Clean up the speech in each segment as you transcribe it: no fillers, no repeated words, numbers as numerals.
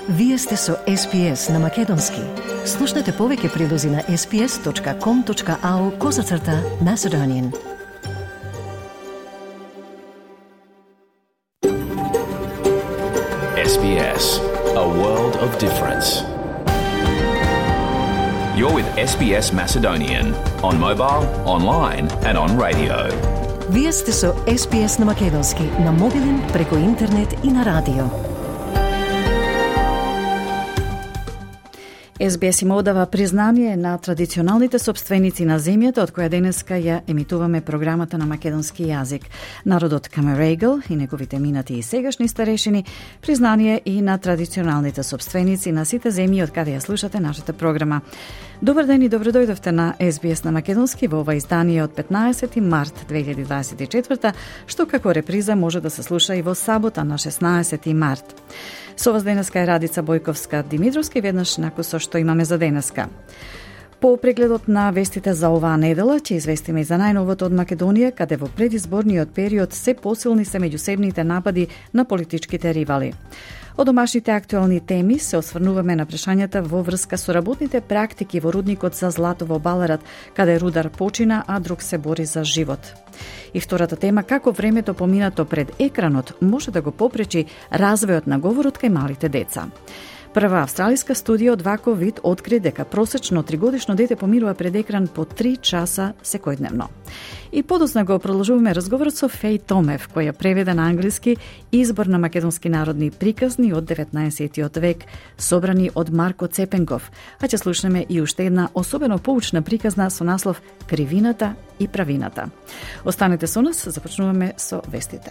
Вие сте со SPS на Македонски. Слушнете повеќе прилози на sps.com.au/Macedonian. SBS, a world of difference. You're with SBS Macedonian on mobile, online and on radio. Вие сте со SPS на Македонски на мобилен, преку интернет и на радио. SBS им одава признание на традиционалните собственици на земјата од која денеска ја емитуваме програмата на македонски јазик. Народот Камерегл и неговите минати и сегашни старешини, признание и на традиционалните собственици на сите земји од каде ја слушате нашата програма. Добар ден и добро дојдовте на SBS на македонски во ова издание од 15 март 2024, што како реприза може да се слуша и во сабота на 16 март. Со вас денеска е Радица Бојковска-Димитровска и веднаш накус со што имаме за денеска. По прегледот на вестите за оваа недела, ќе известиме и за најновото од Македонија, каде во предизборниот период се посилни се меѓусебните напади на политичките ривали. Од домашните актуелни теми се осврнуваме на прашањата во врска со работните практики во рудникот за злато во Баларат, каде рудар почина, а друг се бори за живот. И втората тема, како времето поминато пред екранот може да го попречи развојот на говорот кај малите деца. Прва австралиска студија од ваков вид откри дека просечно 3-годишно дете поминува пред екран по 3 часа секојдневно. И подоцна го продолжуваме разговорот со Феј Томев, која преведе на англиски избор на македонски народни приказни од 19. век, собрани од Марко Цепенков, а ќе слушнеме и уште една особено поучна приказна со наслов Кривината и правината. Останете со нас, започнуваме со вестите.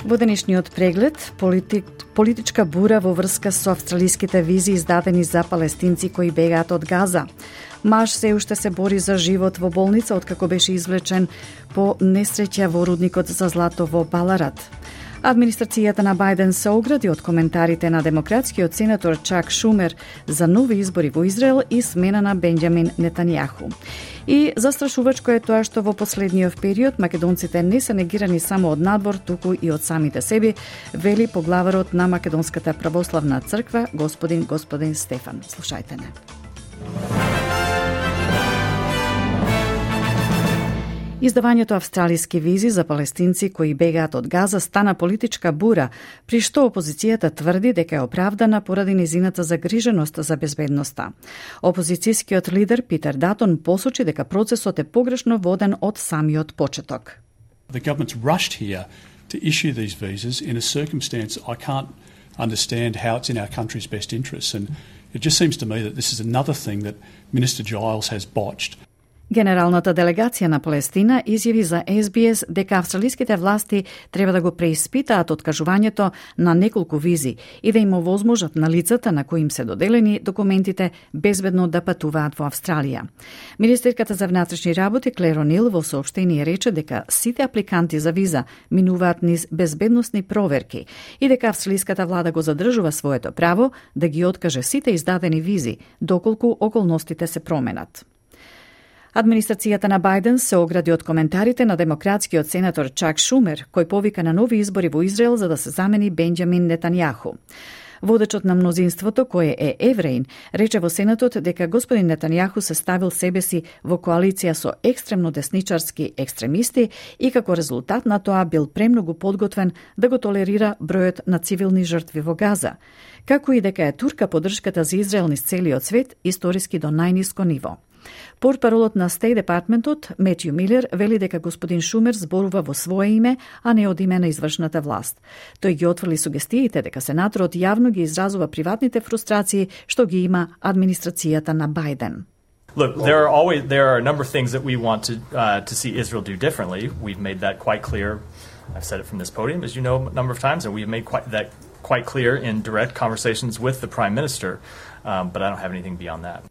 Во денешниот преглед, политичка бура во врска со австралиските визи издадени за палестинци кои бегаат од Газа. Маж се уште се бори за живот во болница откако беше извлечен по несреќа во рудникот за злато во Баларат. Администрацијата на Бајден се огради од коментарите на демократскиот сенатор Чак Шумер за нови избори во Израел и смена на Бенџамин Нетањаху. И застрашувачко е тоа што во последниот период македонците не се негирани само од надвор, туку и од самите себе, вели поглаварот на Македонската православна црква, господин Стефан. Слушајте не. Издавањето австралиски визи за палестинци кои бегаат од Газа стана политичка бура, при што опозицијата тврди дека е оправдана поради низината загриженост за безбедноста. Опозицијскиот лидер Питер Датон посочи дека процесот е погрешно воден од самиот почеток. The government's rushed here to issue these visas in a circumstance I can't understand how it's in our country's best interests, and it just seems to me that this is another thing that Minister Giles has botched. Генералната делегација на Палестина изјави за SBS дека австралиските власти треба да го преиспитаат откажувањето на неколку визи и да им овозможат на лицата на кои им се доделени документите безбедно да патуваат во Австралија. Министерката за внатрешни работи Клер О'Нил во соопштение рече дека сите апликанти за виза минуваат низ безбедносни проверки и дека австралиската влада го задржува своето право да ги откаже сите издадени визи доколку околностите се променат. Администрацијата на Бајден се огради од коментарите на демократскиот сенатор Чак Шумер, кој повика на нови избори во Израел за да се замени Бенџамин Нетањаху. Водечот на мнозинството, кој е евреин, рече во Сенатот дека господин Нетањаху се ставил себе си во коалиција со екстремно десничарски екстремисти и како резултат на тоа бил премногу подготвен да го толерира бројот на цивилни жртви во Газа, како и дека е турка поддршката за Израел низ целиот свет историски до најниско ниво. Портпаролот на Стејт департментот Метју Милер вели дека господин Шумер зборува во свое име, а не од име на извршната власт. Тој ги отфрли сугестиите дека сенаторот јавно ги изразува приватните фрустрации што ги има администрацијата на Бајден. Look, there are a number of things that we want to see Israel do differently. We've made that quite clear. I've said it from this podium, as you know, a number of times, and we've made that quite clear in direct conversations with the Prime Minister, but I don't have anything beyond that.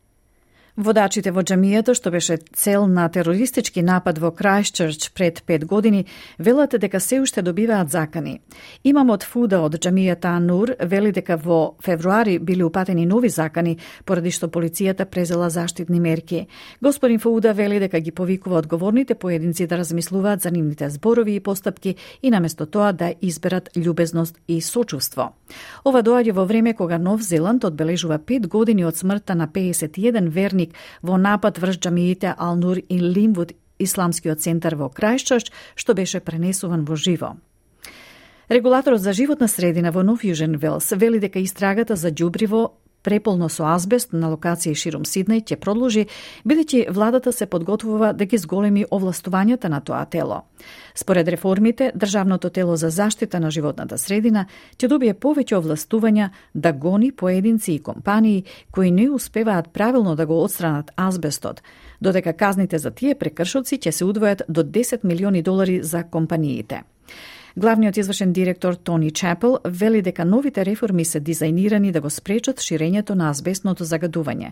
Водачите во џамијата, што беше цел на терористички напад во Крајстчерч пред 5 години, велат дека се уште добиваат закани. Имамот Фуда од џамијата Анур вели дека во февруари били упатени нови закани, поради што полицијата презела заштитни мерки. Господин Фуда вели дека ги повикува одговорните поединци да размислуваат за нивните зборови и постапки и наместо тоа да изберат љубезност и сочувство. Ова доаѓа во време кога Нов Зеланд одбележува 5 години од смртта на 51 верник во напад врз џамиите Ал-Нур и Линвуд, исламскиот центар во Крајстчерч, што беше пренесуван во живо. Регулаторот за животна средина во Нов Јужен Велс вели дека истрагата за ѓубриво преполно со азбест на локации ширум Сиднеј ќе продолжи, бидејќи владата се подготвува да ги зголеми овластувањата на тоа тело. Според реформите, Државното тело за заштита на животната средина ќе добие повеќе овластувања да гони поединци и компании кои не успеваат правилно да го отстранат азбестот, додека казните за тие прекршоци ќе се удвојат до $10 милиони за компаниите. Главниот извршен директор Тони Чапел вели дека новите реформи се дизајнирани да го спречат ширењето на азбестното загадување.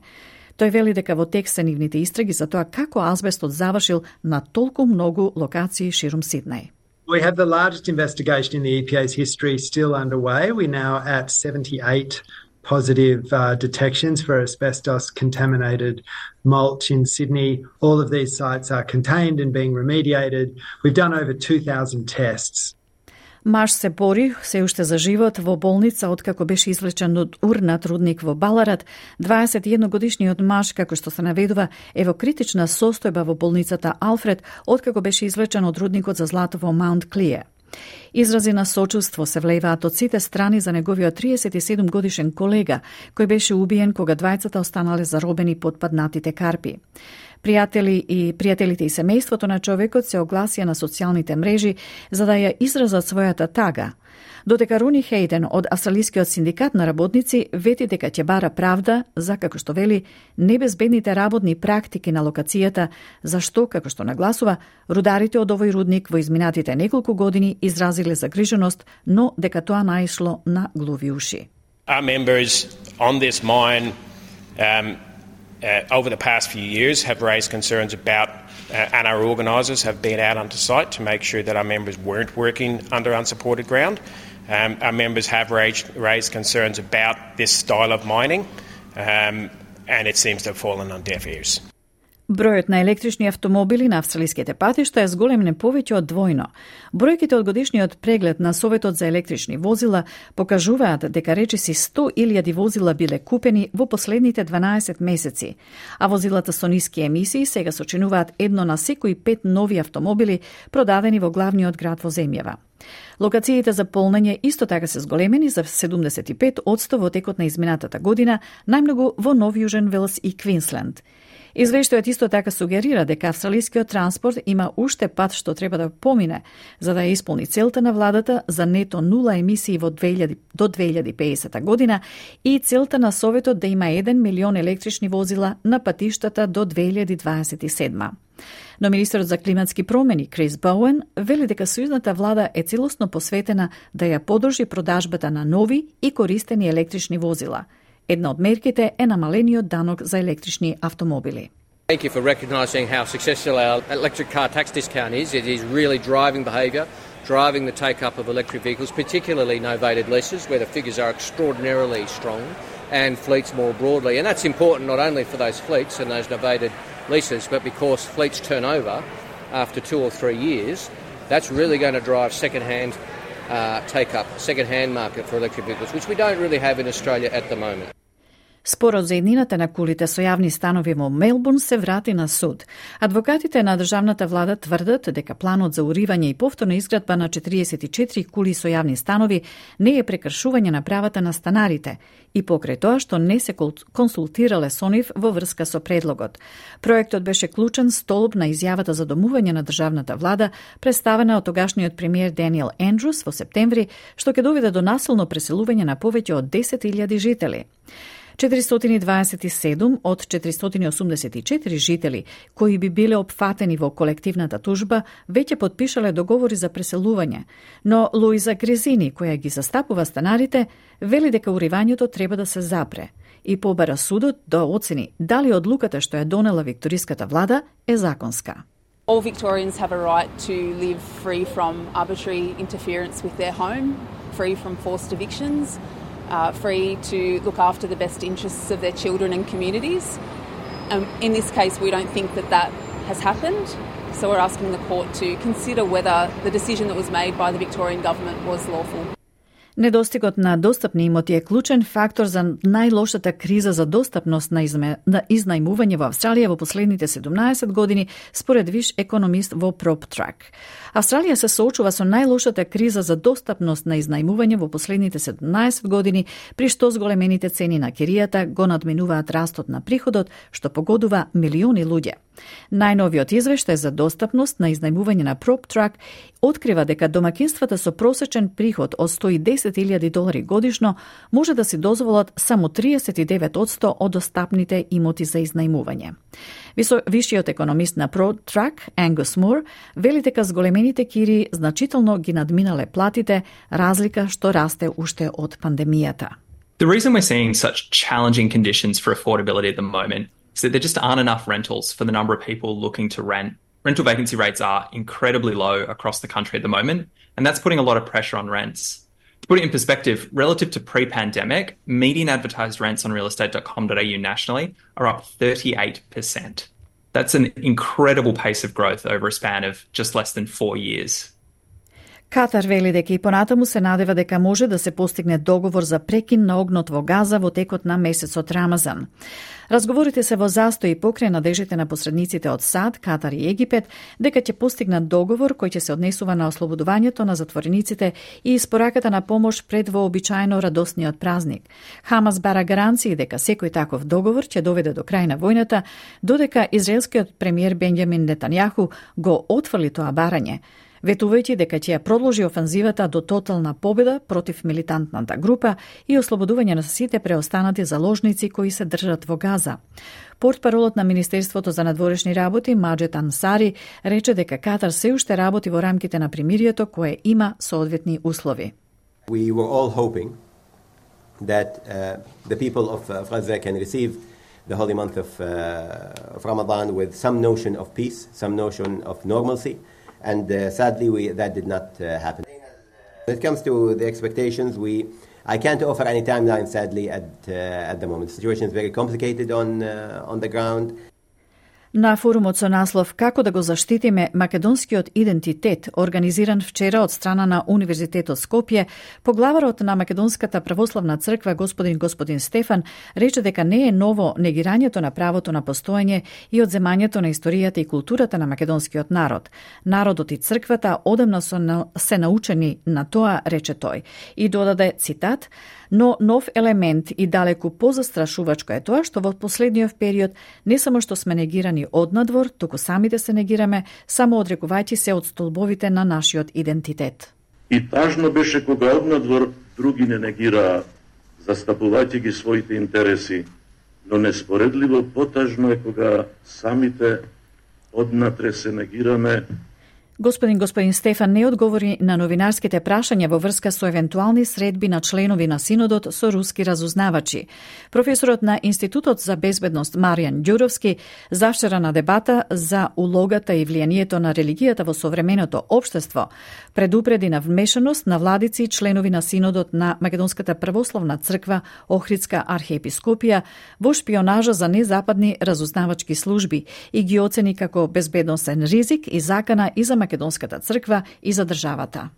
Тој вели дека во тек се нивните истраги за тоа како азбестот завршил на толку многу локации ширум Сиднеј. We have the largest investigation in the EPA's history still underway. We're now at 78 positive detections for asbestos-contaminated mulch in Sydney. All of these sites are contained and being remediated. We've done over 2,000 tests. Маш се бори се уште за живот во болница откако беше извлечен од урнат рудник во Баларат. 21-годишниот маж, како што се наведува, е во критична состојба во болницата Алфред откако беше извлечен од рудникот за злато во Маунт Клиер. Изрази на сочувство се влејваат од сите страни за неговиот 37 годишен колега, кој беше убиен кога двајцата останале заробени под паднатите карпи. Пријателите и семејството на човекот се огласија на социјалните мрежи за да ја изразат својата тага. Додека Руни Хейден од Австралискиот синдикат на работници вети дека ќе бара правда за, како што вели, небезбедните работни практики на локацијата, зашто, како што нагласува, рударите од овој рудник во изминатите неколку години изразиле загриженост, но дека тоа наишло на глуви уши. Our members on this mine over the past few years have raised concerns about, and our organisers have been out onto site to make sure that our members weren't working under unsupported ground. Our members have raised concerns about this style of mining, and it seems to have fallen on deaf ears. Бројот на електрични автомобили на австралиските патишта е зголемен повеќе од двојно. Бројките од годишниот преглед на Советот за електрични возила покажуваат дека речиси 100.000 возила биле купени во последните 12 месеци, а возилата со ниски емисии сега сочинуваат едно на секои 5 нови автомобили продадени во главниот град во земјава. Локациите за полнење исто така се зголемени за 75% во текот на изминатата година, најмногу во Нов Јужен Велс и Квинсленд. Извештајот исто така сугерира дека австралискиот транспорт има уште пат што треба да помине за да ја исполни целта на владата за нето нула емисии до 2050 година и целта на Советот да има 1 милион електрични возила на патиштата до 2027. Но министерот за климатски промени Крис Боуен вели дека сојузната влада е целосно посветена да ја подржи продажбата на нови и користени електрични возила. Една од мерките е намалениот данок за електрични автомобили. Thank you for recognising how successful our electric car tax discount is. It is really driving behaviour, driving the take-up of electric vehicles, particularly novated leases, where the figures are extraordinarily strong, and fleets more broadly. And that's important not only for those fleets and those novated leases, but because fleets turn over after 2 or 3 years, that's really going to drive second-hand take-up, second-hand market for electric vehicles, which we don't really have in Australia at the moment. Спорот за еднината на кулите со јавни станови во Мелбурн се врати на суд. Адвокатите на државната влада тврдат дека планот за уривање и повторна изградба на 44 кули со јавни станови не е прекршување на правата на станарите и покрај тоа што не се консултирале со нив во врска со предлогот. Проектот беше клучен столб на изјавата за домување на државната влада, представена од тогашниот премиер Даниел Ендрус во септември, што ќе доведе до насилно преселување на повеќе од 10.000 жители. 427 од 484 жители кои би биле опфатени во колективната тужба веќе подпишале договори за преселување, но Луиза Грезини, која ги застапува станарите, вели дека уривањето треба да се запре и побара судот да оцени дали одлуката што ја донела викториската влада е законска. All Victorians have a right to live free from arbitrary interference with their home, free from forced evictions, free to look after the best interests of their children and communities. In this case, we don't think that has happened, so we're asking the court to consider whether the decision that was made by the Victorian government was lawful. Недостигот на достапни имоти е клучен фактор за најлошата криза за достапност на изнајмување во Австралија во последните 17 години, според виш економист во PropTrack. Австралија се соочува со најлошата криза за достапност на изнајмување во последните 17 години, при што зголемените цени на киријата го надминуваат растот на приходот, што погодува милиони луѓе. Најновиот извештај за достапност на изнајмување на PropTrack открива дека домакинствата со просечен приход од $110,000 годишно може да си дозволат само 39% од достапните имоти за изнајмување. Вишиот економист на PropTrack, Ангус Мур, вели дека зголемените кири значително ги надминале платите, разлика што расте уште од пандемијата. The reason we're seeing such challenging conditions for affordability at the moment is that there just aren't enough rentals for the number of people looking to rent. Rental vacancy rates are incredibly low across the country at the moment, and that's putting a lot of pressure on rents. To put it in perspective, relative to pre-pandemic, median advertised rents on realestate.com.au nationally are up 38%. That's an incredible pace of growth over a span of just less than 4 years. Катар вели дека и понатаму се надева дека може да се постигне договор за прекин на огнот во Газа во текот на месецот Рамазан. Разговорите се во застој покрај надежите на посредниците од САД, Катар и Египет дека ќе постигнат договор кој ќе се однесува на ослободувањето на затворениците и испораката на помош пред вообичаено радосниот празник. Хамас бара гаранции дека секој таков договор ќе доведе до крај на војната, додека израелскиот премиер Бенјамин Нетањаху го отфрли тоа барање, ветувајќи дека ќе ја продолжи офанзивата до тотална победа против милитантната група и ослободување на сите преостанати заложници кои се држат во Газа. Портпаролот на Министерството за надворешни работи Маџед Ансари рече дека Катар се уште работи во рамките на примирието кое има соодветни услови. We were all hoping that the people of Gaza can receive the holy month of Ramadan with some notion of peace, some notion of normalcy. And sadly, that did not happen. When it comes to the expectations, I can't offer any timeline, sadly, at the moment. The situation is very complicated on the ground. На форумот со наслов «Како да го заштитиме македонскиот идентитет», организиран вчера од страна на Универзитетот Скопје, поглаварот на Македонската православна црква господин Стефан рече дека не е ново негирањето на правото на постоење и одземањето на историјата и културата на македонскиот народ. Народот и црквата одамна се научени на тоа, рече тој, и додаде цитат: но нов елемент и далеку позастрашувачко е тоа што во последниот период не само што сме негирани однадвор, туку самите се негираме, само одрекувајќи се од столбовите на нашиот идентитет. И тажно беше кога однадвор други не негираа, застапувајќи ги своите интереси, но неспоредливо потажно е кога самите однатре се негираме. Господин Стефан не одговори на новинарските прашања во врска со евентуални средби на членови на синодот со руски разузнавачи. Професорот на Институтот за безбедност Маријан Ѓуровски завчера на дебата за улогата и влијанието на религијата во современото општество предупреди на вмешаност на владици и членови на синодот на Македонската православна црква Охридска архиепископија во шпионажа за незападни разузнавачки служби и ги оцени како безбедносен ризик и закана и за Македонската црква и за државата.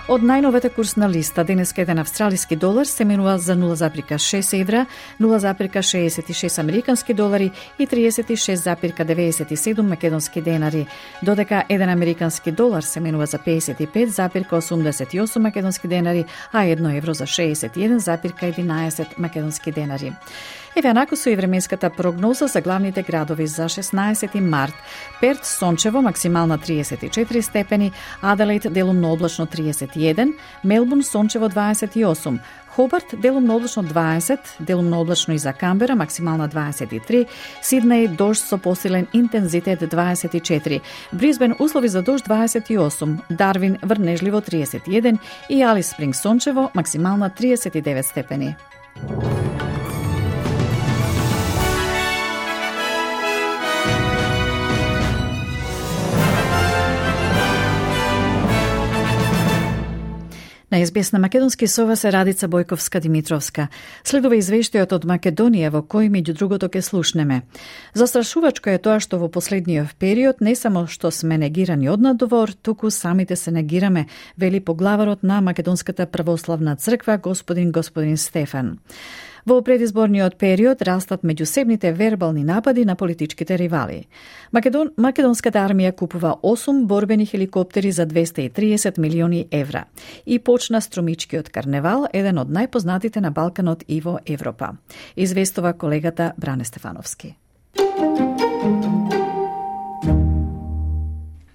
Од најновата курсна листа, денеска еден австралиски долар се менува за 0,6 евра, 0,66 американски долари и 36,97 македонски денари, додека еден американски долар се менува за 55,88 македонски денари, а 1 евро за 61,11 македонски денари. Еве анако со и временската прогноза за главните градови за 16 март. Перт сончево, максимална 34 степени, Аделаид делумно облачно 31, Мелбурн сончево 28, Хобарт делумно облачно 20, делумно облачно и за Камбера, максимална 23, Сиднеј дожд со посилен интензитет 24, Брисбен услови за дожд 28, Дарвин врнежливо 31 и Алис Спринг сончево, максимална 39 степени. На СБС на македонски со вас е Радица Бојковска-Димитровска. Следува извештајот од Македонија во кој меѓу другото ке слушнеме. Застрашувачко е тоа што во последниот период не само што сме негирани од надвор, туку самите се негираме, вели поглаварот на Македонската православна црква господин Стефан. Во предизборниот период растат меѓусебните вербални напади на политичките ривали. Македонската армија купува 8 борбени хеликоптери за 230 милиони евра и почна струмичкиот карневал, еден од најпознатите на Балканот и во Европа. Известува колегата Бране Стефановски.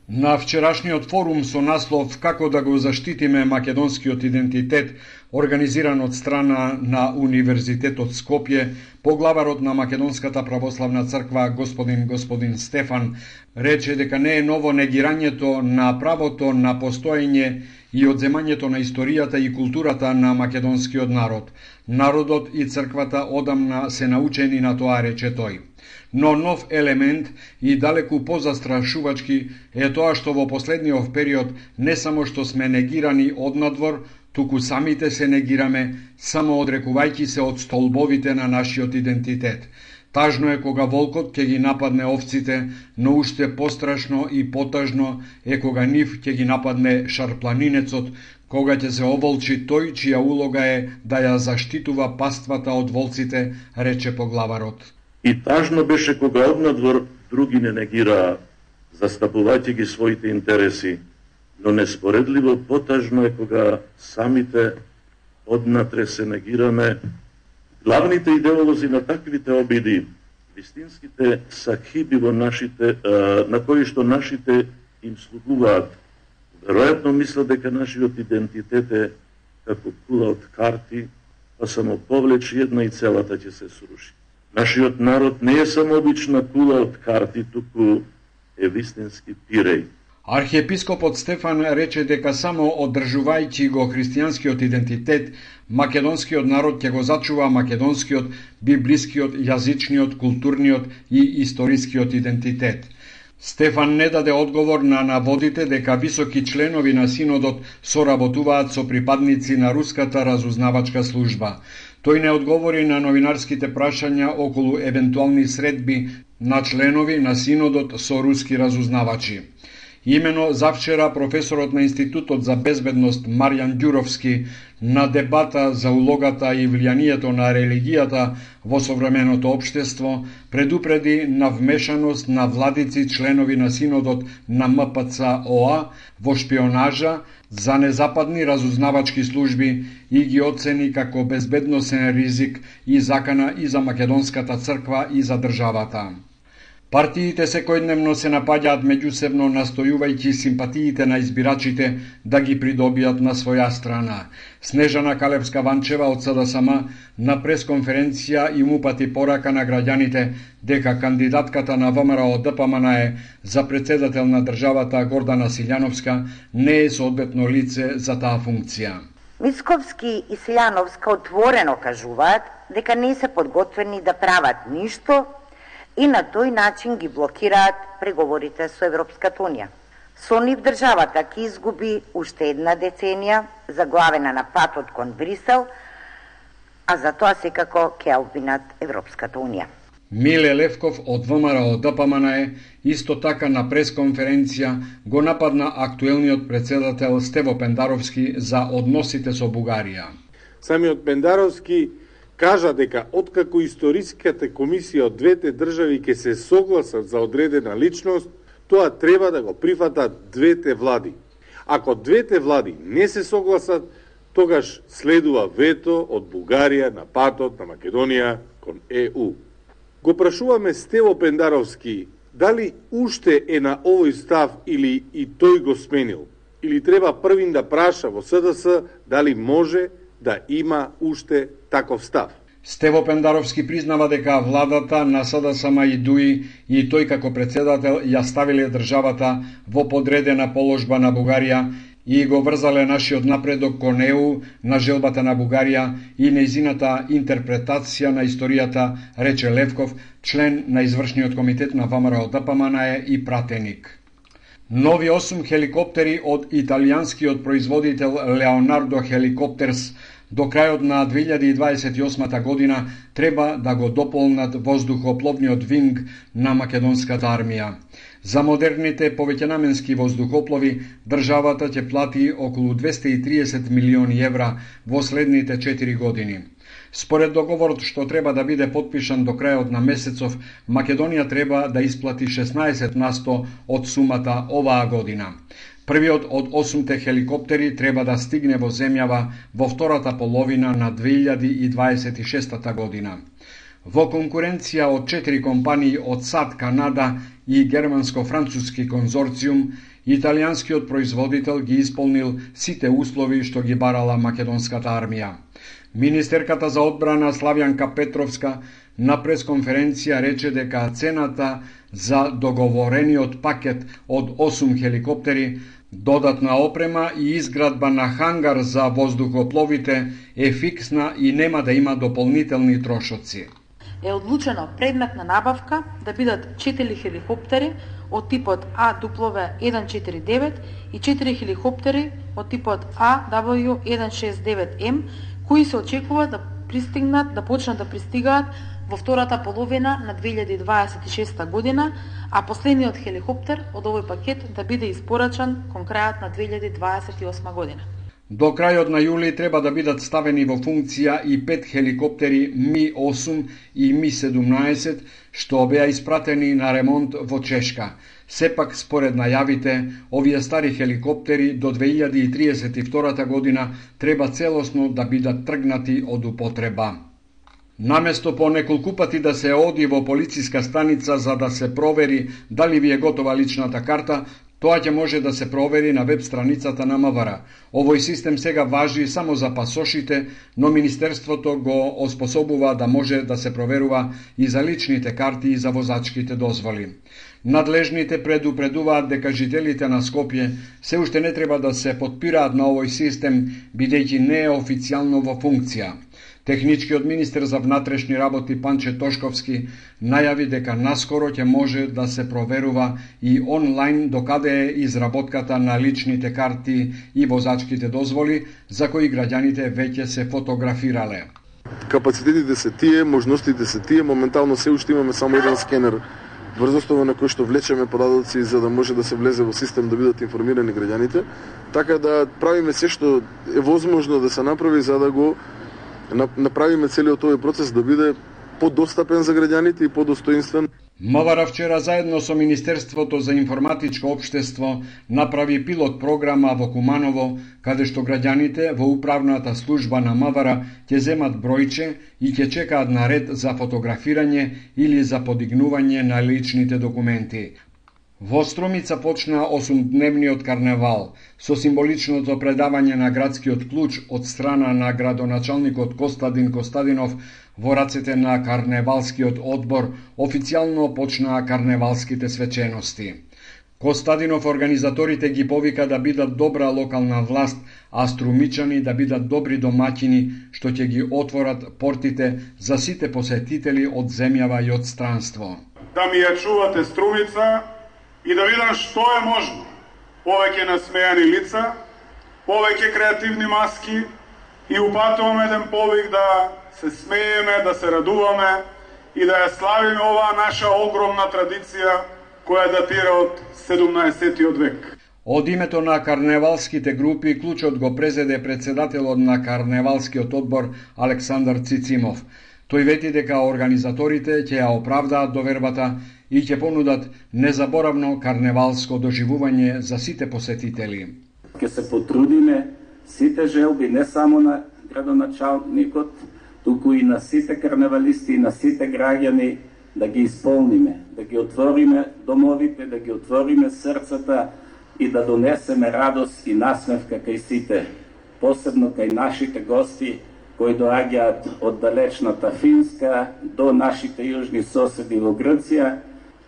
На вчерашниот форум со наслов «Како да го заштитиме македонскиот идентитет», организиран од страна на Универзитетот Скопје, поглаварот на Македонската православна црква господин Стефан рече дека не е ново негирањето на правото на постоење и одземањето на историјата и културата на македонскиот народ. Народот и црквата одамна се научени на тоа, рече тој. Но нов елемент и далеку позастрашувачки е тоа што во последниот период не само што сме негирани однадвор, туку самите се негираме, само одрекувајќи се од столбовите на нашиот идентитет. Тажно е кога волкот ќе ги нападне овците, но уште пострашно и потажно е кога нив ќе ги нападне шарпланинецот, кога ќе се оволчи тој чија улога е да ја заштитува паствата од волците, рече поглаварот. И тажно беше кога однадвор други не негираа, застапувајќи ги своите интереси, но неспоредливо потажно е кога самите однатре се негираме. Главните идеолози на таквите обиди, вистинските сахиби во нашите, на кои што нашите им слугуваат, веројатно мислат дека нашиот идентитет е како кула од карти, па само повлечи една и целата ќе се сруши. Нашиот народ не е само обична кула од карти, туку е вистински пиреј. Архиепископот Стефан рече дека само одржувајќи го христијанскиот идентитет, македонскиот народ ќе го зачува македонскиот, библискиот, јазичниот, културниот и историскиот идентитет. Стефан не даде одговор на наводите дека високи членови на синодот соработуваат со припадници на руската разузнавачка служба. Тој не одговори на новинарските прашања околу евентуални средби на членови на синодот со руски разузнавачи. Имено завчера професорот на Институтот за безбедност Марјан Ѓуровски на дебата за улогата и влијанието на религијата во современото општество предупреди на вмешаност на владици членови на синодот на МПЦ-ОА во шпионажа за незападни разузнавачки служби и ги оцени како безбедносен ризик и закана и за македонската црква и за државата. Партиите секојдневно се напаѓаат меѓусебно, настојувајќи симпатиите на избирачите да ги придобијат на своја страна. Снежана Калевска-Ванчева од СДСМ на пресконференција им упати порака на граѓаните дека кандидатката на ВМРО ДПМН за председател на државата Гордана Силјановска не е соодветно лице за таа функција. Мицковски и Силјановска отворено кажуваат дека не се подготвени да прават ништо и на тој начин ги блокираат преговорите со Европската Унија. Со нив државата ќе изгуби уште една деценија заглавена на патот кон Брисел, а за тоа секако ќе обвинат Европската Унија. Миле Левков од ВМРО ДПМН исто така на пресконференција го нападна актуелниот председател Стево Пендаровски за односите со Бугарија. Самиот Пендаровски кажа дека откако историската комисија од двете држави ќе се согласат за одредена личност, тоа треба да го прифатат двете влади. Ако двете влади не се согласат, тогаш следува вето од Бугарија на патот на Македонија кон ЕУ. Го прашуваме Стево Пендаровски дали уште е на овој став или и тој го сменил, или треба првин да праша во СДС дали може да има уште таков став. Стево Пендаровски признава дека владата на СДСМ и ДУИ и тој како председател ја ставиле државата во подредена положба на Бугарија и го врзале нашиот напредок кон ЕУ на желбата на Бугарија и нејзината интерпретација на историјата, рече Левков, член на извршниот комитет на ВМРО-ДПМНЕ и пратеник. Нови 8 хеликоптери од италијанскиот производител Леонардо Хеликоптерс до крајот на 2028 година треба да го дополнат воздухопловниот винг на македонската армија. За модерните повеќенаменски воздухоплови државата ќе плати околу 230 милиони евра во следните 4 години. Според договорот што треба да биде потпишан до крајот на месецов, Македонија треба да исплати 16% од сумата оваа година. Првиот од 8 хеликоптери треба да стигне во земјава во втората половина на 2026 година. Во конкуренција од 4 компании од САД, Канада и германско-француски конзорциум, италијанскиот производител ги исполнил сите услови што ги барала македонската армија. Министерката за одбрана Славјанка Петровска на пресконференција рече дека цената за договорениот пакет од 8 хеликоптери, додатна опрема и изградба на хангар за воздухопловите е фиксна и нема да има дополнителни трошоци. Е одлучено предмет на набавка да бидат 4 хеликоптери од типот AW149 и 4 хеликоптери од типот AW169M, кои се очекува да почнат да пристигаат во втората половина на 2026 година, а последниот хеликоптер од овој пакет да биде испорачан кон крајот на 2028 година. До крајот на јули треба да бидат ставени во функција и 5 хеликоптери Ми-8 и Ми-17, што беа испратени на ремонт во Чешка. Сепак, според најавите, овие стари хеликоптери до 2032 година треба целосно да бидат тргнати од употреба. Наместо по неколку пати да се оди во полициска станица за да се провери дали ви е готова личната карта, тоа ќе може да се провери на веб страницата на МВР. Овој систем сега важи само за пасошите, но Министерството го оспособува да може да се проверува и за личните карти и за возачките дозволи. Надлежните предупредуваат дека жителите на Скопје се уште не треба да се потпираат на овој систем, бидејќи не е официјално во функција. Техничкиот министер за внатрешни работи Панче Тошковски најави дека наскоро ќе може да се проверува и онлайн докаде е изработката на личните карти и возачките дозволи, за кои граѓаните веќе се фотографирале. Капацитетите се тие, можностите се тие, моментално се уште имаме само еден скенер врз основа на кој што влечеме податоци за да може да се влезе во систем да бидат информирани граѓаните, така да правиме се што е возможно да се направи за да го направиме целиот овој процес да биде подостапен за граѓаните и подостоинствен. МВР вчера заедно со Министерството за информатичко општество направи пилот програма во Куманово, каде што граѓаните во управната служба на МВР ќе земат бројче и ќе чекаат на ред за фотографирање или за подигнување на личните документи. Во Струмица почна 8-дневниот карневал со символичното предавање на градскиот клуч од страна на градоначалникот Костадин Костадинов во рацете на карневалскиот одбор. Официјално почнаа карневалските свечености. Костадинов организаторите ги повика да бидат добра локална власт, а струмичани да бидат добри домаќини што ќе ги отворат портите за сите посетители од земјава и од странство. Да ми ја чувате Струмица и да видам што е можно. Повеќе насмејани лица, повеќе креативни маски и упатуваме еден повик да се смееме, да се радуваме и да ја славиме оваа наша огромна традиција која датира од 17-тиот век. Од името на карневалските групи клучот го презеде председателот на карневалскиот одбор Александар Цицимов. Тој вети дека организаторите ќе ја оправдаат довербата и ќе понудат незаборавно карневалско доживување за сите посетители. Ќе се потрудиме сите желби не само на градоначалникот, туку и на сите карневалисти и на сите граѓани да ги исполниме, да ги отвориме домовите, да ги отвориме срцата и да донесеме радост и насмевка кај сите. посебно кај нашите гости кои доаѓаат од далечната Финска до нашите јужни соседи во Грција,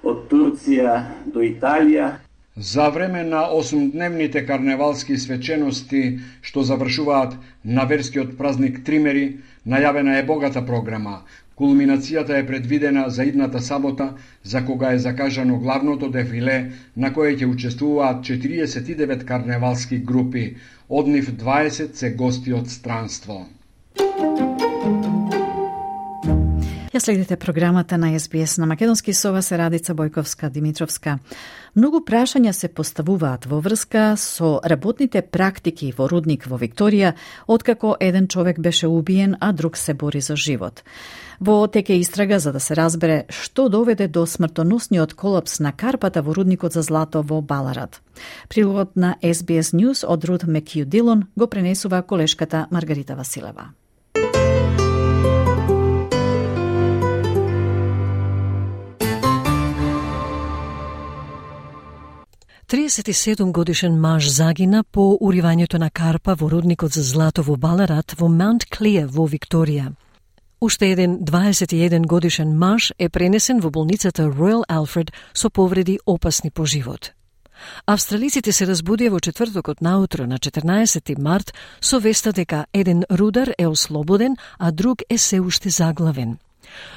од Турција до Италија. За време на 8-дневните карневалски свечености што завршуваат на верскиот празник Тримери, најавена е богата програма. Кулминацијата е предвидена за идната сабота, за кога е закажано главното дефиле, на кое ќе учествуваат 49 карневалски групи, од нив 20 се гости од странство. Ја следите програмата на SBS на македонски со вас е Радица Бојковска-Димитровска. Многу прашања се поставуваат во врска со работните практики во рудник во Викторија, откако еден човек беше убиен, а друг се бори за живот. Во теке истрага за да се разбере што доведе до смртоносниот колапс на карпата во рудникот за злато во Баларат. Прилогот на SBS News од Руд Мекју Дилон го пренесува колешката Маргарита Василева. 37 годишен маж загина по уривањето на карпа во рудникот за злато во Баларат во Маунт Клеар во Викторија. Уште еден 21 годишен маж е пренесен во болницата Royal Alfred со повреди опасни по живот. Австралиците се разбудија во четвртокот наутро на 14 март со веста дека еден рудар е ослободен, а друг е се уште заглавен.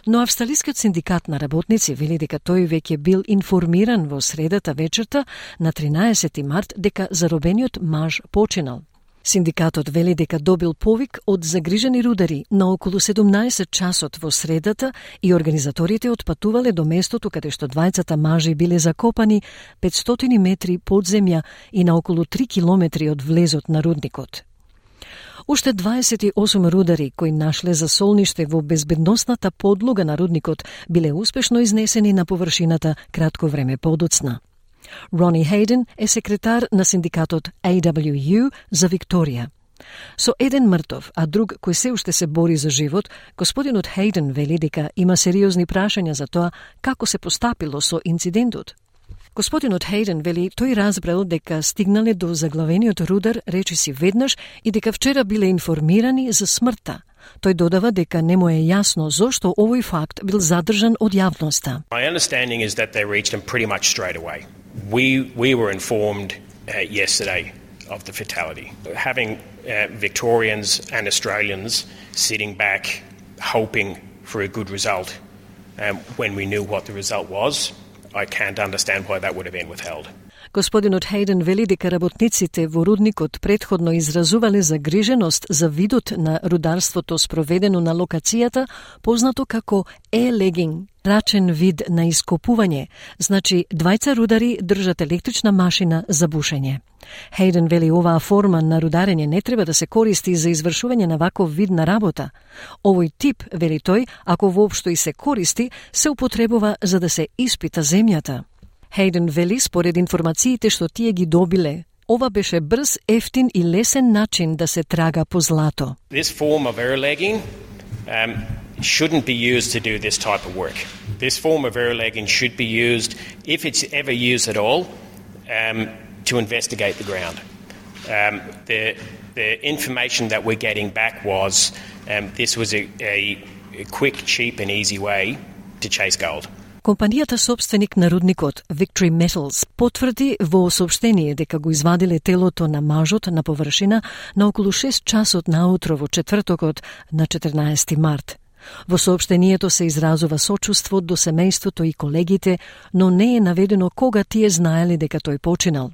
Но Австралискиот синдикат на работници вели дека тој веќе бил информиран во средата вечерта на 13 март дека заробениот маж починал. Синдикатот вели дека добил повик од загрижени рудари на околу 17 часот во средата и организаторите отпатувале до местото каде што двајцата мажи биле закопани 500 метри под земја и на околу 3 километри од влезот на рудникот. Уште 28 рудари кои нашле засолниште во безбедносната подлога на рудникот биле успешно изнесени на површината кратко време подоцна. Рони Хейден е секретар на синдикатот AWU за Викторија. Со еден мртов, а друг кој се уште се бори за живот, господинот Хейден вели дека има сериозни прашања за тоа како се постапило со инцидентот. Господинот Хейден вели тој разбрал дека стигнале до заглавениот рудар речиси веднаш и дека вчера биле информирани за смртта. Тој додава дека не му е јасно зошто овој факт бил задржан од јавноста. My understanding is that they reached him pretty much straight away. We were informed yesterday of the fatality. Having Victorians and Australians sitting back hoping for a good result when we knew what the result was, I can't understand why that would have been withheld. Господинот Хейден вели дека работниците во рудникот претходно изразувале загриженост за видот на рударството спроведено на локацијата, познато како e-legging, рачен вид на ископување, значи двајца рудари држат електрична машина за бушење. Хейден вели оваа форма на рударење не треба да се користи за извршување на ваков вид на работа. Овој тип, вели тој, ако воопшто и се користи, се употребува за да се испита земјата. Хейден вели според информациите што тие ги добиле, ова беше брз, ефтин и лесен начин да се трага по злато. This form of air-legging shouldn't be used to do this type of work. This form of air-legging should be used, if it's ever used at all, to investigate the ground. The information that we're getting back was this was a quick, cheap and easy way to chase gold. Компанијата собственик на рудникот Victory Metals потврди во соопштение дека го извадиле телото на мажот на површина на околу 6 часот наутро во четвртокот на 14 март. Во соопштението се изразува сочувство до семејството и колегите, но не е наведено кога тие знаеле дека тој починал.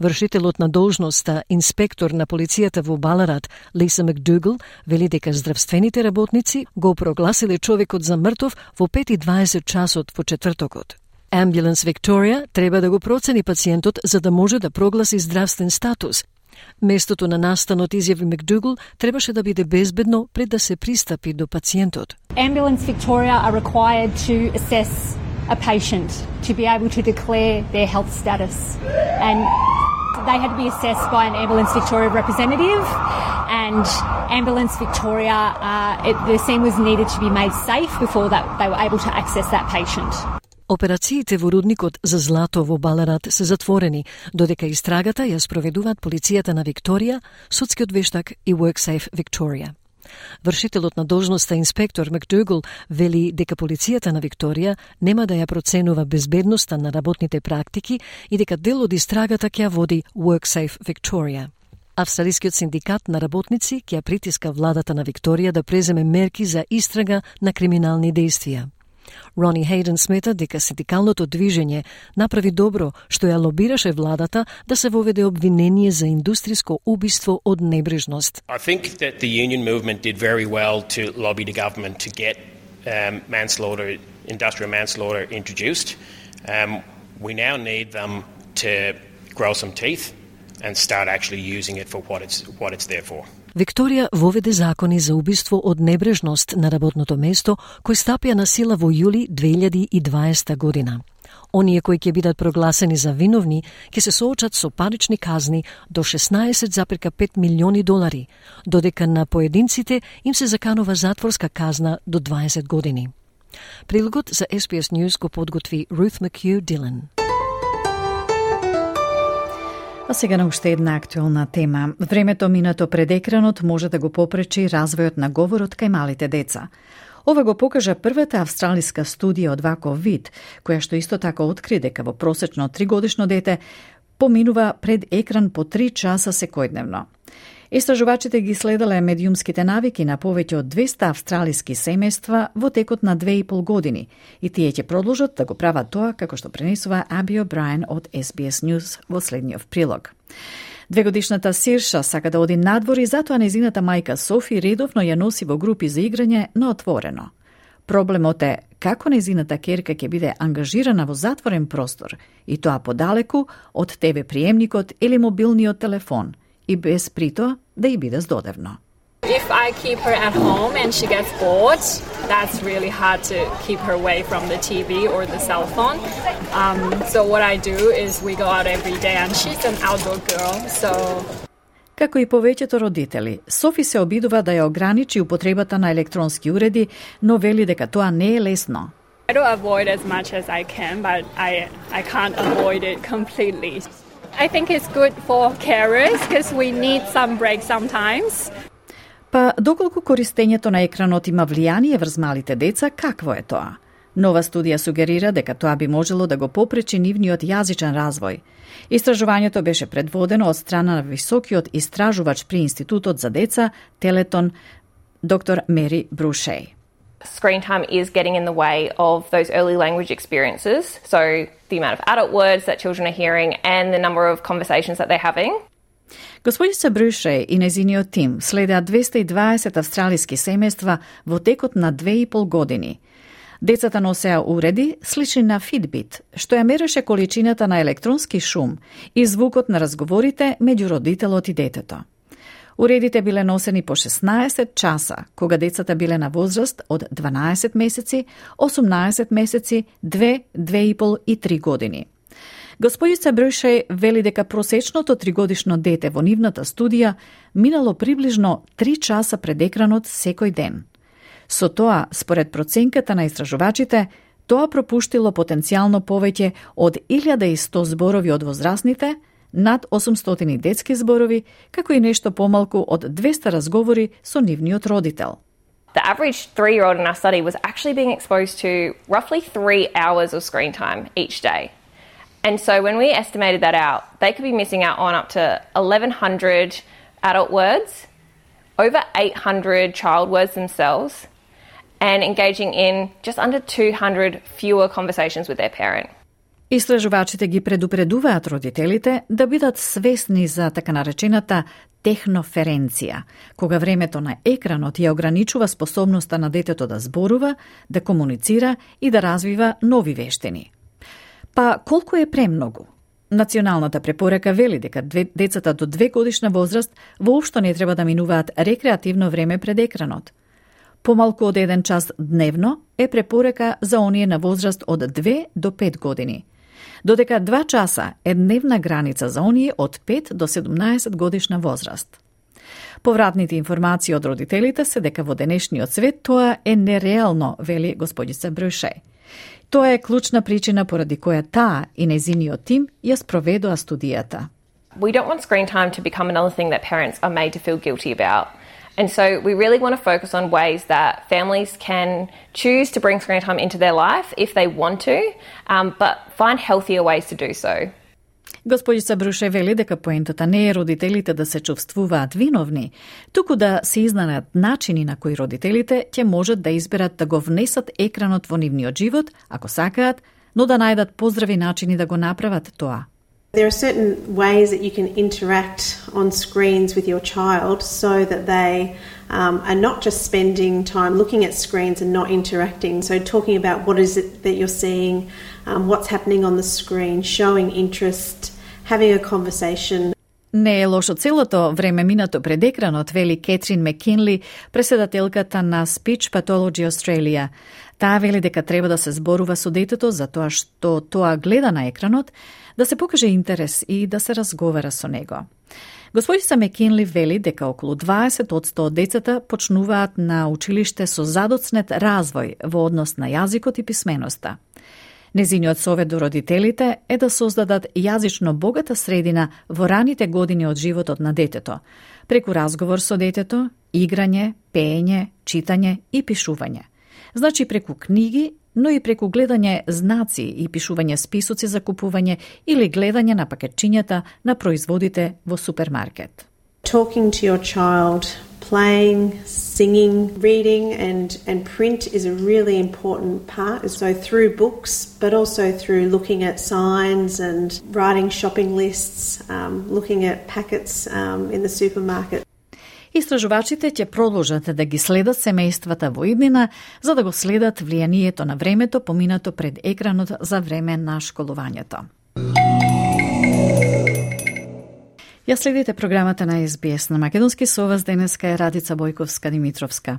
Вршителот на должноста, инспектор на полицијата во Баларат, Лиса Макдугал, вели дека здравствените работници го прогласиле човекот за мртов во 5:20 часот во четвртокот. Ambulance Victoria треба да го процени пациентот за да може да прогласи здравствен статус. Местото на настанот, изјави Макдугал, требаше да биде безбедно пред да се пристапи до пациентот. Ambulance Victoria are required to assess a patient to be able to declare their health status, and they had to be assessed by an Ambulance Victoria representative, and Ambulance Victoria, the scene was needed to be made safe before that they were able to access that patient. Операциите во рудникот за злато во Баларат се затворени, додека истрагата ја спроведуваат полицијата на Викторија, судскиот вештак и WorkSafe Victoria. Вршителот на должноста инспектор Макдугал вели дека полицијата на Викторија нема да ја проценува безбедноста на работните практики и дека дел од истрагата ќе ја води WorkSafe Victoria. Австралискиот синдикат на работници ќе ја притиска владата на Викторија да преземе мерки за истрага на криминални дејствија. Рони Хейден смета дека синдикалното движење направи добро што ја лобираше владата да се воведе обвинение за индустриско убиство од небрежност. I think that the union movement did very well to lobby the government to get manslaughter, industrial manslaughter introduced. We now need them to grow some teeth and start actually using it for what it's there for. Викторија воведе закони за убиство од небрежност на работното место, кои стапија на сила во јули 2020 година. Оние кои ќе бидат прогласени за виновни ќе се соочат со парични казни до $16,5 милиони, додека на поединците им се заканува затворска казна до 20 години. Прилогот за SBS News го подготви Ruth McHugh Dillon. А сега на уште една актуелна тема. Времето минато пред екранот може да го попречи развојот на говорот кај малите деца. Ова го покажа првата австралиска студија од ваков вид, која што исто така откри дека во просечно 3-годишно дете поминува пред екран по 3 часа секојдневно. Истражувачите ги следеле медиумските навики на повеќе од 200 австралиски семејства во текот на 2,5 години и тие ќе продолжат да го прават тоа, како што пренесува Аби О'Брајен од SBS News во следниот прилог. 2-годишната Сирша сака да оди надвор и затоа незината мајка Софи редовно ја носи во групи за играње на отворено. Проблемот е како незината керка ќе биде ангажирана во затворен простор и тоа подалеку од ТВ приемникот или мобилниот телефон, и без прито да ја биде здодевно. If I keep her at home and she gets bored, that's really hard to keep her away from the TV or the cell phone. So what I do is we go out every day and she's an outdoor girl, so... Како и повеќето родители, Софи се обидува да ја ограничи употребата на електронски уреди, но вели дека тоа не е лесно. I do avoid as much as I can, but I can't avoid it completely. I think it's good for carers because we need some break sometimes. Па доколку користењето на екранот има влијание врз малите деца, какво е тоа? Нова студија сугерира дека тоа би можело да го попречи нивниот јазичен развој. Истражувањето беше предводено од страна на високиот истражувач при Институтот за деца Телетон, доктор Мери Брушей. Screen time is getting in the way of those early language experiences, so the amount of adult words that children are hearing and the number of conversations that they're having. Господица Брушей и незиниот тим следеа 220 австралиски семејства во текот на 2,5 години. Децата носеа уреди слични на Fitbit, што ја мереше количината на електронски шум и звукот на разговорите меѓу родителот и детето. Уредите биле носени по 16 часа, кога децата биле на возраст од 12 месеци, 18 месеци, 2, 2,5 и 3 години. Господица Брушей вели дека просечното 3-годишно дете во нивната студија минало приближно 3 часа пред екранот секој ден. Со тоа, според проценката на истражувачите, тоа пропуштило потенцијално повеќе од 1100 зборови од возрастните, над 800 детски зборови, како и нешто помалку од 200 разговори со нивниот родител. The average 3-year-old in our study was actually being exposed to roughly 3 hours of screen time each day. And so when we estimated that out, they could be missing out on up to 1,100 adult words, over 800 child words themselves, and engaging in just under 200 fewer conversations with their parent. Истражувачите ги предупредуваат родителите да бидат свесни за така наречената техноференција, кога времето на екранот ја ограничува способноста на детето да зборува, да комуницира и да развива нови вештини. Па колку е премногу? Националната препорака вели дека децата до 2 годишна возраст воопшто не треба да минуваат рекреативно време пред екранот. Помалку од 1 час дневно е препорака за оние на возраст од 2 до 5 години. Додека 2 часа е дневна граница за оние од 5 до 17 годишна возраст. Повратните информации од родителите се дека во денешниот свет тоа е нереално, вели господица Брушей. Тоа е клучна причина поради која таа и нејзиниот тим ја спроведоа студијата. We don't want screen time to become another thing that parents are made to feel guilty about. And so we really want to focus on ways that families can choose to bring screen time into their life if they want to, but find healthier ways to do so. Господица Бруше вели дека поентата не е родителите да се чувствуваат виновни, туку да се изнајдат начини на кои родителите ќе можат да изберат да го внесат екранот во нивниот живот, ако сакаат, но да најдат поздрави начини да го направат тоа. There are certain ways that you can interact on screens with your child so that they are not just spending time looking at screens and not interacting. So talking about what is it that you're seeing, what's happening on the screen, showing interest, having a conversation. Не е лошо целото време минато пред екранот, вели Кетрин Мекинли, преседателката на Speech Pathology Australia. Таа вели дека треба да се зборува со детето за тоа што тоа гледа на екранот, да се покаже интерес и да се разговара со него. Господица Мекинли вели дека околу 20% од децата почнуваат на училиште со задоцнет развој во однос на јазикот и писменоста. Незиниот совет до родителите е да создадат јазично богата средина во раните години од животот на детето, преку разговор со детето, играње, пеење, читање и пишување. Значи преку книги, но и преку гледање знаци и пишување списоци за купување или гледање на пакетчињата на производите во супермаркет. Talking to your child, playing, singing, reading and print is a really important part. So through books, but also through looking at signs and writing shopping lists, looking at packets in the supermarket. Истражувачите ќе продолжат да ги следат семејствата во иднина, за да го следат влијанието на времето поминато пред екранот за време на школувањето. Ја следите програмата на SBS на Македонски, со вас денеска е Радица Бојковска-Димитровска.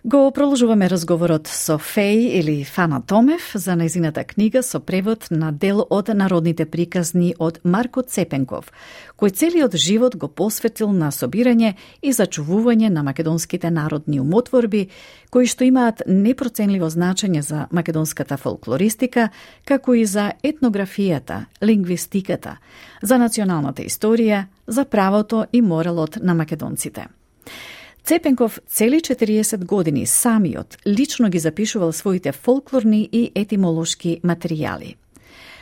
Го продолжуваме разговорот со Феј или Фана Томев за нејзината книга со превод на дел од народните приказни од Марко Цепенков, кој целиот живот го посветил на собирање и зачувување на македонските народни умотворби, кои што имаат непроценливо значење за македонската фолклористика, како и за етнографијата, лингвистиката, за националната историја, за правото и моралот на македонците. Цепенков цели 40 години самиот лично ги запишувал своите фолклорни и етимолошки материјали.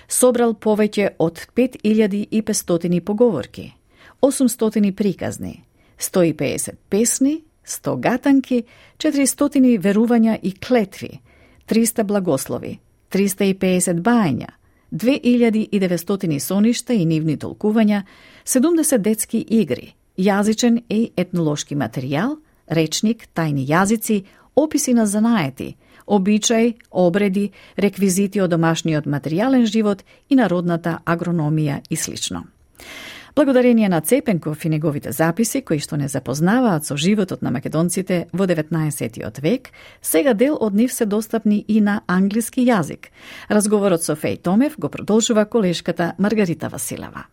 Собрал повеќе од 5500 поговорки, 800 приказни, 150 песни, 100 гатанки, 400 верувања и клетви, 300 благослови, 350 бајања, 2900 соништа и нивни толкувања, 70 детски игри, јазичен и етнолошки материјал, речник, тајни јазици, описи на занаети, обичај, обреди, реквизити од домашниот материјален живот и народната агрономија и слично. Благодарение на Цепенков и неговите записи, кои што не запознаваат со животот на македонците во 19. век, сега дел од нив се достапни и на англиски јазик. Разговорот со Феј Томев го продолжува колешката Маргарита Василева.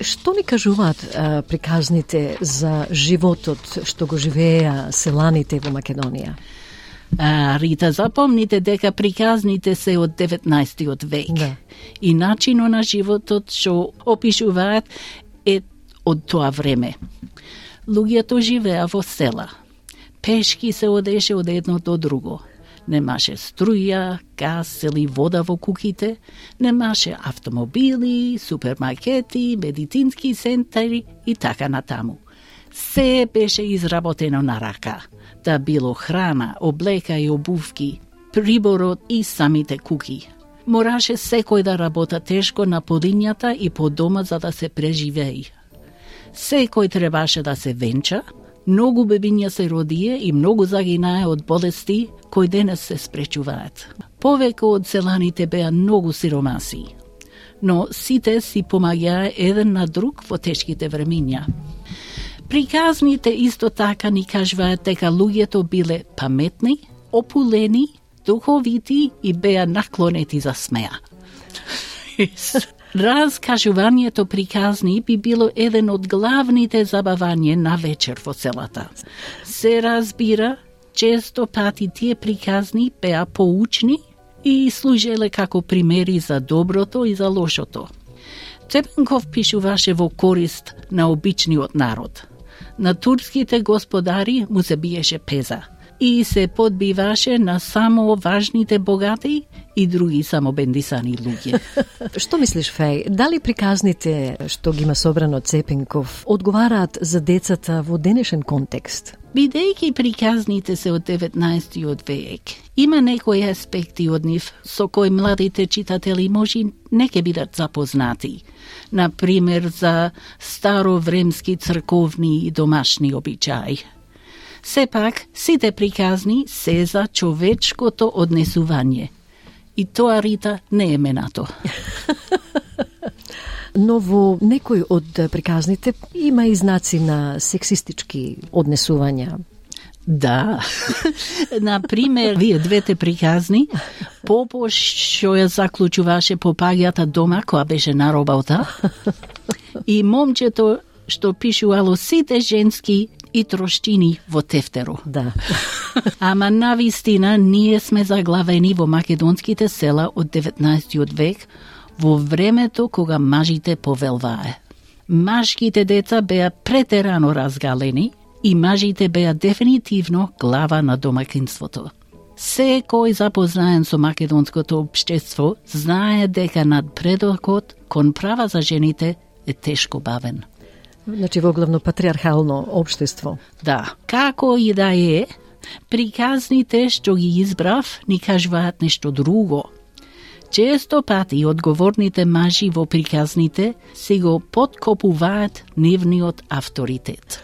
Што ни кажуваат приказните за животот што го живееа селаните во Македонија? Рита, запомните дека приказните се од 19. век. Да. И начинот на животот што опишуваат е од тоа време. Луѓето живеа во села. Пешки се одеше од едно до друго. Немаше струја, газ или вода во куќите, немаше автомобили, супермаркети, медицински центри и така натаму. Се беше изработено на рака, да било храна, облека и обувки, приборот и самите куќи. Мораше секој да работа тешко на полињата и по дома за да се преживеи. Секој требаше да се венча, многу бебиња се родие и многу загинае од болести кои денес се спречуваат. Повеќе од селаните беа многу сиромаси, но сите си помаѓаа еден на друг во тешките времиња. Приказните исто така ни кажуваат дека луѓето биле паметни, опулени, духовити и беа наклонети за смеа. Раскажувањето приказни би било еден од главните забавања на вечер во селата. Се разбира, често пати тие приказни беа поучни и служеле како примери за доброто и за лошото. Цепенков пишуваше во корист на обичниот народ. На турските господари му се биеше пеза и се подбиваше на само важните богати и други самобендисани луѓе. Што мислиш, Феј? Дали приказните што ги има собрано Цепенков одговараат за децата во денешен контекст? Бидејќи приказните се од 19. век, има некои аспекти од нив со кои младите читатели може не ќе бидат запознати. Например, за старовремски црковни и домашни обичаи. Сепак, сите приказни се за човечкото однесување. И тоа, Рита, не е менато. Но во некои од приказните има и знаци на сексистички однесувања. Да. Например, вие двете приказни, Попо што ја заклучуваше попаѓата дома која беше на работа и момчето што пишувало сите женски и троштини во тефтеро. Да. Ама навистина ние сме заглавени во македонските села од 19. век во времето кога мажите повелвае. Машките деца беа претерано разгалени и мажите беа дефинитивно глава на домакинството. Секој запознаен со македонското општество знае дека надпредокот кон права за жените е тешко бавен. Значи во главно патриархално општество. Да, како и да е, приказните што ги избрав ни кажуваат нешто друго. Често пати одговорните мажи во приказните си го подкопуваат нивниот авторитет.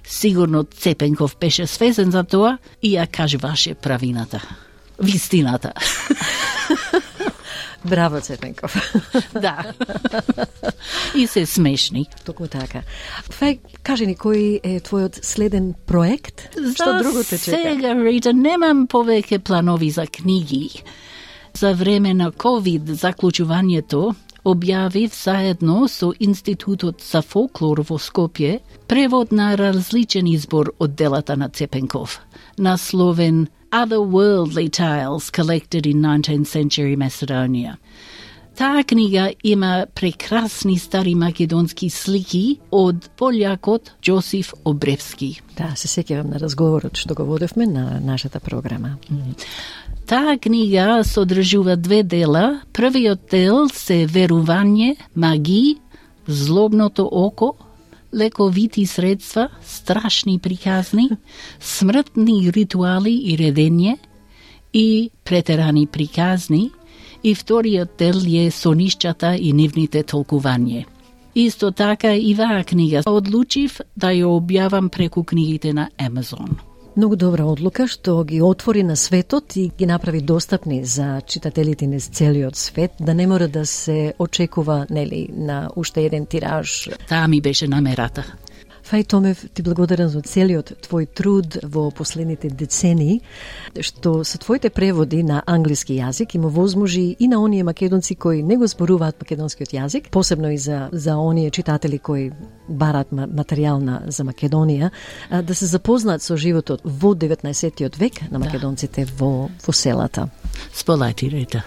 Сигурно Цепенков беше свесен за тоа и ја кажуваше правината. Вистината. Браво, Цепенков. Да. И се смешни. Токму така. Феј, кажи ни, кој е твојот следен проект? Што друго те чека? Сега, Рита, немам повеќе планови за книги. За време на COVID заклучувањето објавив заедно со Институтот за фолклор во Скопје превод на различен избор од делата на Цепенков, насловен Otherworldly Tales Collected in 19th Century Macedonia. Таа книга има прекрасни стари македонски слики од полјакот Џосиф Обревски. Да, се сеќавам на разговорот што го водевме на нашата програма. Таа книга содржува две дела. Првиот дел се верување, маги, злобното око, лековити средства, страшни приказни, смртни ритуали и редење и претерани приказни, и вториот дел е сонишчата и нивните толкување. Исто така и ваа книга одлучив да ја објавам преку книгите на Amazon. Многу добра одлука што ги отвори на светот и ги направи достапни за читателите низ целиот свет, да не мора да се очекува, нели, на уште еден тираж. Таа ми беше намерата. Фај Томев, ти благодарам за целиот твој труд во последните децении, што со твоите преводи на англиски јазик им овозможи и на оние македонци кои не го зборуваат македонскиот јазик, посебно и за оние читатели кои барат материјал за Македонија, да се запознаат со животот во 19. век на македонците во селата. Сполајте, Рита.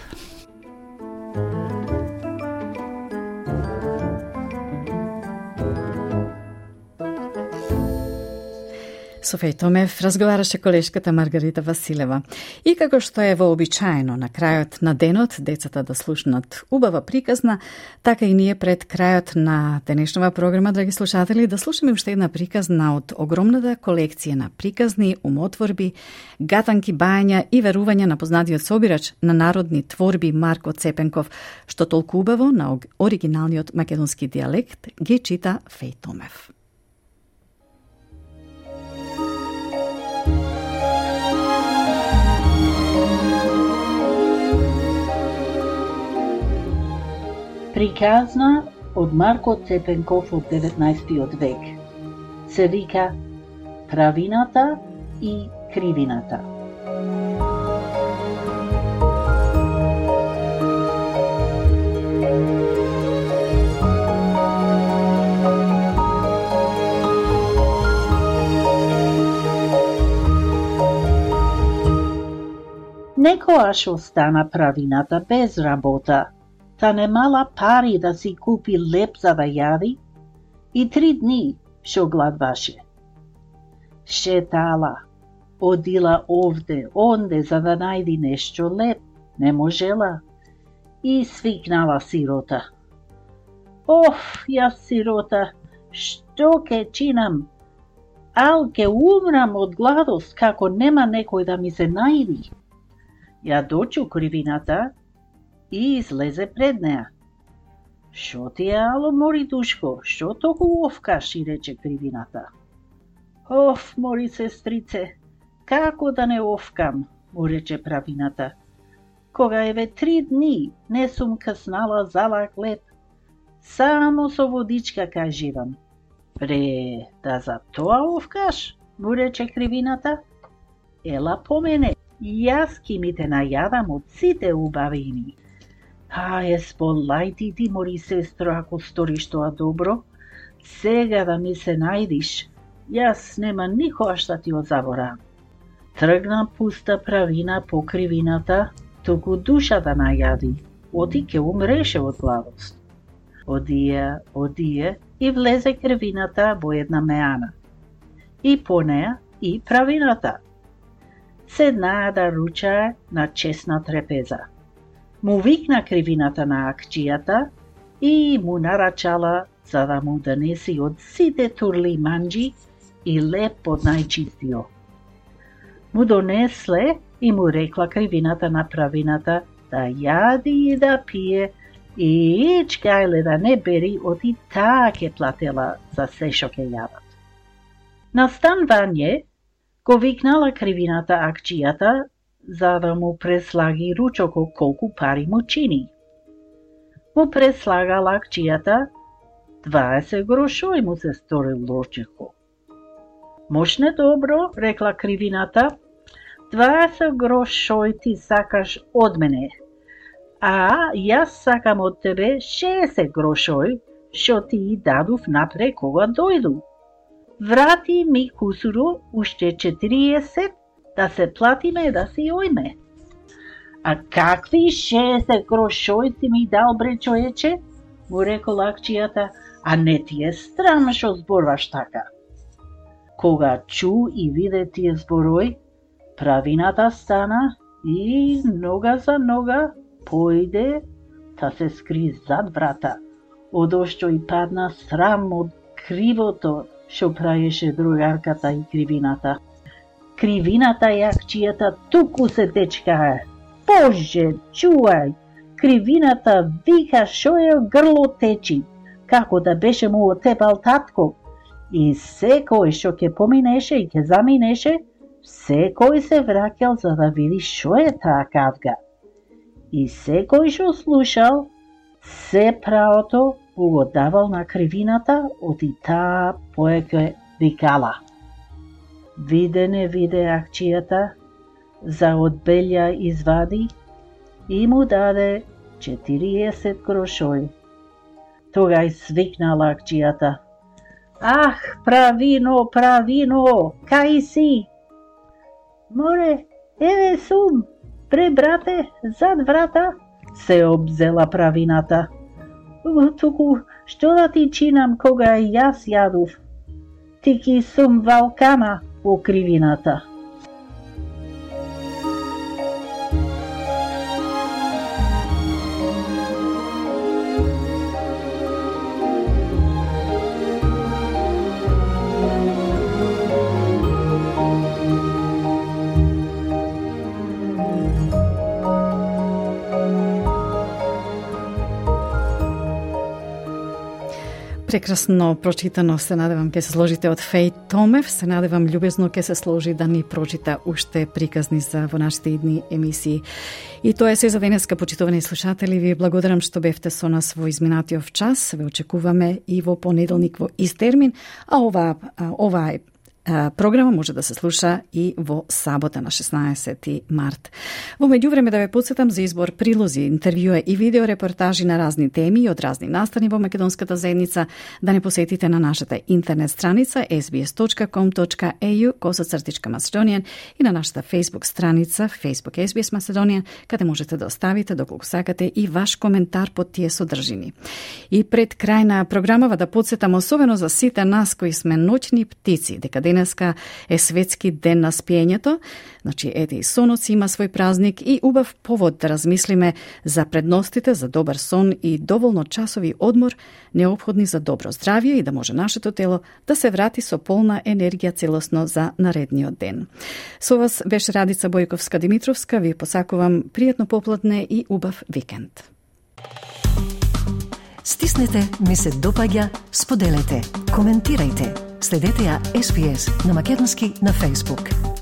Со Феј Томев разговараше колешката Маргарита Василева. И како што е вообичаено на крајот на денот децата да слушнат убава приказна, така и ние пред крајот на денешнава програма, драги слушатели, да слушаме уште една приказна од огромната колекција на приказни, умотворби, гатанки, бајања и верувања на познатиот собирач на народни творби Марко Цепенков, што толку убаво на оригиналниот македонски дијалект ги чита Феј Томев. Приказна од Марко Цепенков од 19. век. Се вика Правината и Кривината. Некојаш остана Правината без работа, та немала пари да си купи леп за да јади и 3 дни шо гладваше. Шетала, одила овде, онде за да најди нешто леп, не можела и свикнала сирота. Оф, јас сирота, што ке чинам? Ал ке умрам од гладост како нема некој да ми се најди. Ја дочу Кривината и излезе пред неа. Шо ти е, ало, мори душко, што толку овкаш, и рече Кривината. Оф, мори сестрице, како да не овкам, му рече Правината. Кога еве 3 дни не сум каснала залак леп, само со водичка кај живам. Пре, да за тоа овкаш, му рече Кривината. Ела по мене, јас ки ми те најадам од сите убавини. Сполај ти, мори сестро, ако сториш тоа добро, сега да ми се најдиш, јас нема никогаш да ти го заборавам. Тргна пуста Правина по Кривината, туку душа да најади, оти ке умреше од гладост. Одие и влезе Кривината во една меана. И по неа и Правината. Седнаа да ручае на чесна трепеза. Му викна Кривината на акчијата и му нарачала за да му донеси од сите турли манџи и леп од најчистиот. Му донесле и му рекла Кривината на Правината да јади и да пие и ичкајле да не бери, оти таа ке платела за се шо ке јадат. На станвање го викнала Кривината акчијата за да му преслаги ручоко колку пари му чини. Му преслагала акчијата 20 грошој му се сторил ручеко. Мошне добро, рекла Кривината, 20 грошој ти сакаш од мене, а јас сакам од тебе 60 грошој, шо ти дадов напре кога дојду. Врати ми кусуро уште 40 да се платиме да си ојме. А какви 60 грошој ти ми дал, бре човече? Му рекол акчијата, а не ти е страм шо зборваш така. Кога чу и виде тие зборој, Правината стана и нога за нога појде та се скри зад врата, одошто и падна срам од кривото шо праеше другарката и Кривината. Кривината и акчијата туку се течкае. Боже, чувај! Кривината вика шо е грло течи, како да беше му отепал татко. И секој шо ќе поминеше и ќе заминеше, секој се враќал за да види шо е таа кавга. И секој шо слушал, се правото го давал на Кривината, оти таа поеќе викала. Виде не виде акчијата, за од белја извади и му даде 40 грошој. Тогај свикнала акчијата. Ах, Правино, Правино, кај си? Море, еве сум, пре брате, зад врата, се обзела Правината. Туку, што да ти чинам кога јас јадов? Ти ки сум валкана во Кривината. Прекрасно прочитано, се надевам ќе се сложите од Феј Томев, се надевам љубезно ќе се сложи да ни прочита уште приказни за во нашите идни емисии. И тоа е се за денеска, почитувани слушатели. Ви благодарам што бевте со нас во изминатиот час. Ве очекуваме и во понеделник во ист термин, а оваа Програма може да се слуша и во сабота на 16 март. Во меѓувреме да ве подсетам за избор прилози, интервјуа и видео репортажи на разни теми од разни настани во македонската заедница, да не посетите на нашата интернет страница sbs.com.au/Macedonian и на нашата Facebook страница Facebook SBS Macedonian, каде можете да оставите доколку сакате и ваш коментар под тие содржини. И пред крај на програмава да подсетам особено за сите нас кои сме ноќни птици, дека денеска е светски ден на спиењето. Значи, ете и сонот има свој празник и убав повод да размислиме за предностите за добар сон и доволно часови одмор неопходни за добро здравје и да може нашето тело да се врати со полна енергија целосно за наредниот ден. Со вас беше Радица Бојковска-Димитровска. Ви посакувам пријатно попладне и убав викенд. Стиснете, ми се допаѓа, споделете, коментирајте. Следете ја SBS на македонски на Facebook.